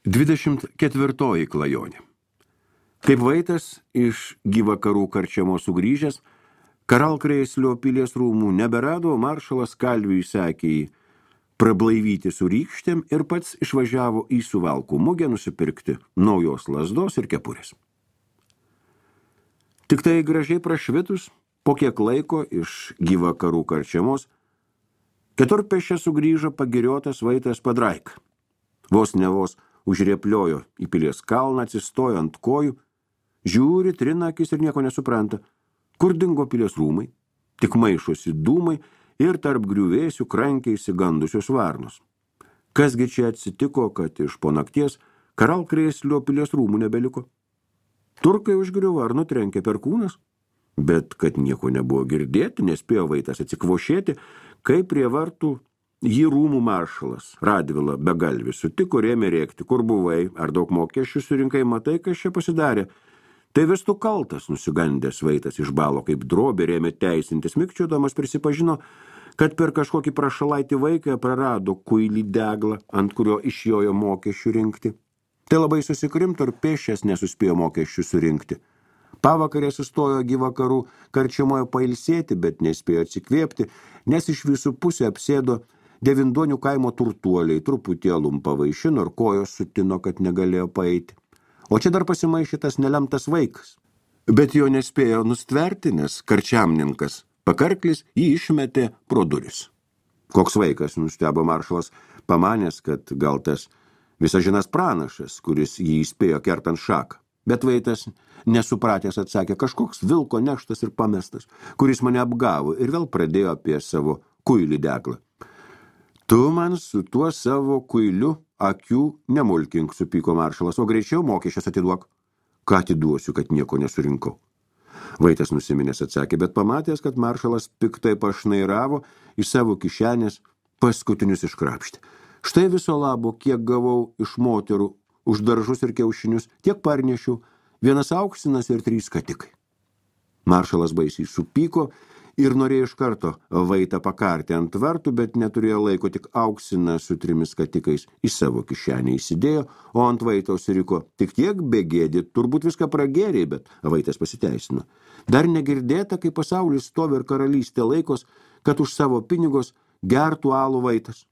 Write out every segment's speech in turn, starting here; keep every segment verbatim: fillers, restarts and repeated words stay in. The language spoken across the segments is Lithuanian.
Dvidešimt ketvirtoji klajonė. Kaip Vaitas iš Gyvakarų karčiamos sugrįžęs, Karalkrėslio pilies rūmų neberado, maršalas Kalviui sekė jį prablaivyti su rykštėm ir pats išvažiavo į Suvalkų mugę nusipirkti naujos lazdos ir kepurės. Tik tai gražiai prašvitus, po kiek laiko iš Gyvakarų karčiamos, keturpėsčia sugrįžo pagiriotas Vaitas Padraika. Vos ne vos užriepliojo į pilies kalną, atsistojo ant kojų, žiūri, trina akis ir nieko nesupranta. Kur dingo pilies rūmai? Tik maišosi dūmai ir tarp griuvėsių krankiai įsigandusios varnos. Kasgi čia atsitiko, kad iš po nakties Karalkrėslio pilies rūmų nebeliko? Turkai užgriuvo ar nutrenkė perkūnas? Bet kad nieko nebuvo girdėti, nespėjo Vaitas atsikvošėti, kai prie vartų jį rūmų maršalas Radvila Begalvis sutiko ir ėmė rėkti, kur buvai, ar daug mokesčių surinkai, matai, kas čia pasidarė. Tai vis tu kaltas, nusigandęs Vaitas išbalo kaip drobė, ėmė teisintis, mikčiodamas prisipažino, kad per kažkokį prašalaitį vaiką prarado kuilį deglą, ant kurio išjojo mokesčių rinkti. Tai labai susikrimto ir pėsčias nesuspėjo mokesčių surinkti. Pavakarė sustojo Gyvakarų karčiamoje pailsėti, bet nespėjo atsikvėpti, nes iš visų pusę apsėdo Devindonių kaimo turtuoliai, truputį alum pavaišino ir kojos sutino, kad negalėjo paeiti. O čia dar pasimaišytas nelemtas vaikas. Bet jo nespėjo nustverti, nes karčiamninkas pakarklis jį išmetė pro duris. Koks vaikas, nustebo maršalas, pamanęs, kad gal tas visažinas pranašas, kuris jį įspėjo kertant šaką. Bet Vaitas, nesupratęs, atsakė, kažkoks vilko neštas ir pamestas, kuris mane apgavo ir vėl pradėjo apie savo kuilį deglą. Tu man su tuo savo kuiliu akių nemulkink, supyko maršalas, o greičiau mokesčius atiduok. Ką atiduosiu, kad nieko nesurinkau? Vaitas nusiminęs atsakė, bet pamatęs, kad maršalas piktai pašnairavo iš savo kišenės paskutinius iškrapštė. Štai viso labo, kiek gavau iš moterų už daržus ir kiaušinius, tiek parnešiau, vienas auksinas ir trys skatikai. Maršalas baisiai supyko ir norėjo iš karto Vaitą pakarti ant vartų, bet neturėjo laiko, tik auksiną su trimis skatikais į savo kišenę įsidėjo, o ant Vaitaus riko tik tiek begėdė, turbūt viską pragėrė, bet Vaitas pasiteisino. Dar negirdėta, kai pasaulis stovi ir karalystė laikos, kad už savo pinigos gertų alų Vaitas.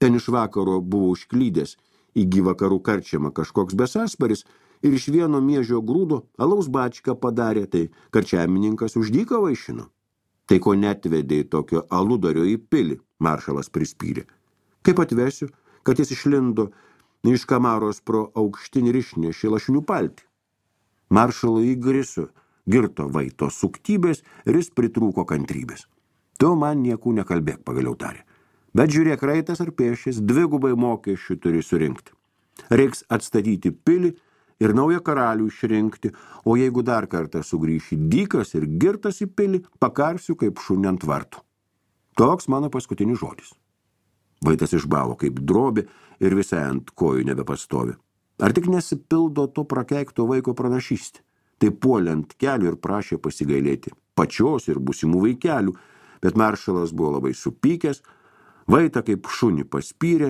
Ten iš vakaro buvo užklydęs į Gyvakarų karčiamą kažkoks besasparis ir iš vieno miežio grūdo alaus bačką padarė, tai karčiamininkas už dyką vaišino. Tai ko netvedė tokio aludario į pilį, maršalas prispyrė. Kaip atvesiu, kad jis išlindo iš kamaros pro aukštinį ir išnešė lašinių paltį. Maršalo įgriso girto Vaito suktybės ir jis pritrūko kantrybės. Tu man niekų nekalbėk, pagaliau tarė. Bet žiūrėk, raitas ar pėšis, dvigubai mokesčių turi surinkti. Reiks atstatyti pilį ir naują karalių išrinkti, o jeigu dar kartą sugrįši dykas ir girtas į pilį, pakarsiu kaip šunį ant vartų. Toks mano paskutinis žodis. Vaitas išbalo kaip drobė ir visai ant kojų nebepastovi. Ar tik nesipildo to prakeikto vaiko pranašystė? Tai puolė ant kelių ir prašė pasigailėti pačios ir būsimų vaikelių, bet maršalas buvo labai supykęs, Vaitą kaip šunį paspyrė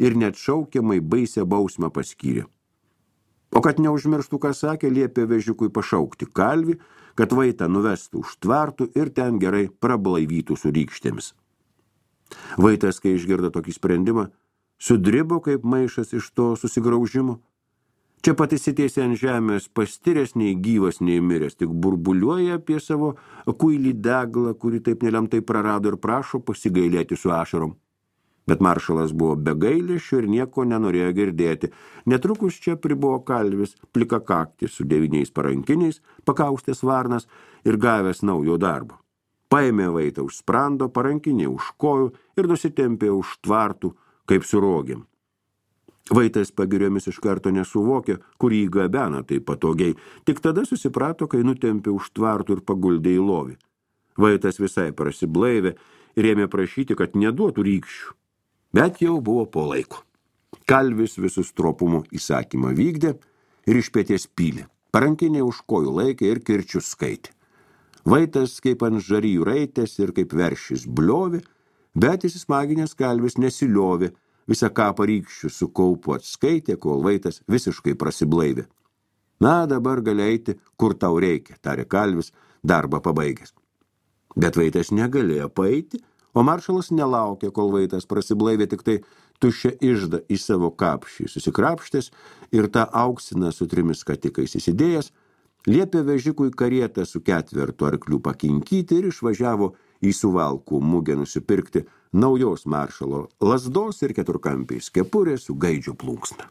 ir net šaukiamai baisią bausmę paskyrė. O kad neužmirštų, ką sakė, liepė vežiukui pašaukti Kalvį, kad Vaitą nuvestų už tvartų ir ten gerai prablaivytų su rykštėmis. Vaitas, kai išgirdo tokį sprendimą, sudribo kaip maišas iš to susigraužimo. Čia pat įsitiesė ant žemės, pastiręs nei gyvas, nei miręs, tik burbuliuoja apie savo kuilį deglą, kurį taip nelemtai prarado ir prašo pasigailėti su ašarom. Bet maršalas buvo be gailesčio ir nieko nenorėjo girdėti. Netrukus čia pribuvo Kalvis, plikakaktis su devyniais parankiniais, pakaustęs varnas ir gavęs naujo darbo. Paėmė Vaitą už sprando, parankiniai už kojų ir nusitempė už tvartų, kaip su rogėm. Vaitas pagiriomis iš karto nesuvokė, kur jį gabena taip patogiai, tik tada susiprato, kai nutempė už tvartų ir paguldė į lovį. Vaitas visai prasiblaivė ir ėmė prašyti, kad neduotų rykščių. Bet jau buvo po laiko. Kalvis visus tropumų įsakymą vykdė ir iš pėties pylė. Parankiniai už kojų laikė ir kirčius skaitė. Vaitas kaip ant žarijų raitės ir kaip veršis bliovė, bet įsismaginęs Kalvis nesiliovė, visą kapą rykščių su kaupu atskaitė, kol Vaitas visiškai prasiblaivė. Na, dabar gali eiti, kur tau reikia, tarė kalvis, darbą pabaigęs. Bet Vaitas negalėjo paeiti, o maršalas nelaukė, kol Vaitas prasiblaivė, tik tai tuščią iždą į savo kapšį susikrapštės ir tą auksiną su trimis skatikais įsidėjęs, liepė vežikui karietą su ketvertu arklių pakinkyti ir išvažiavo į Suvalkų mugę nusipirkti naujos maršalo lazdos ir keturkampiais kepurės su gaidžio plunksna.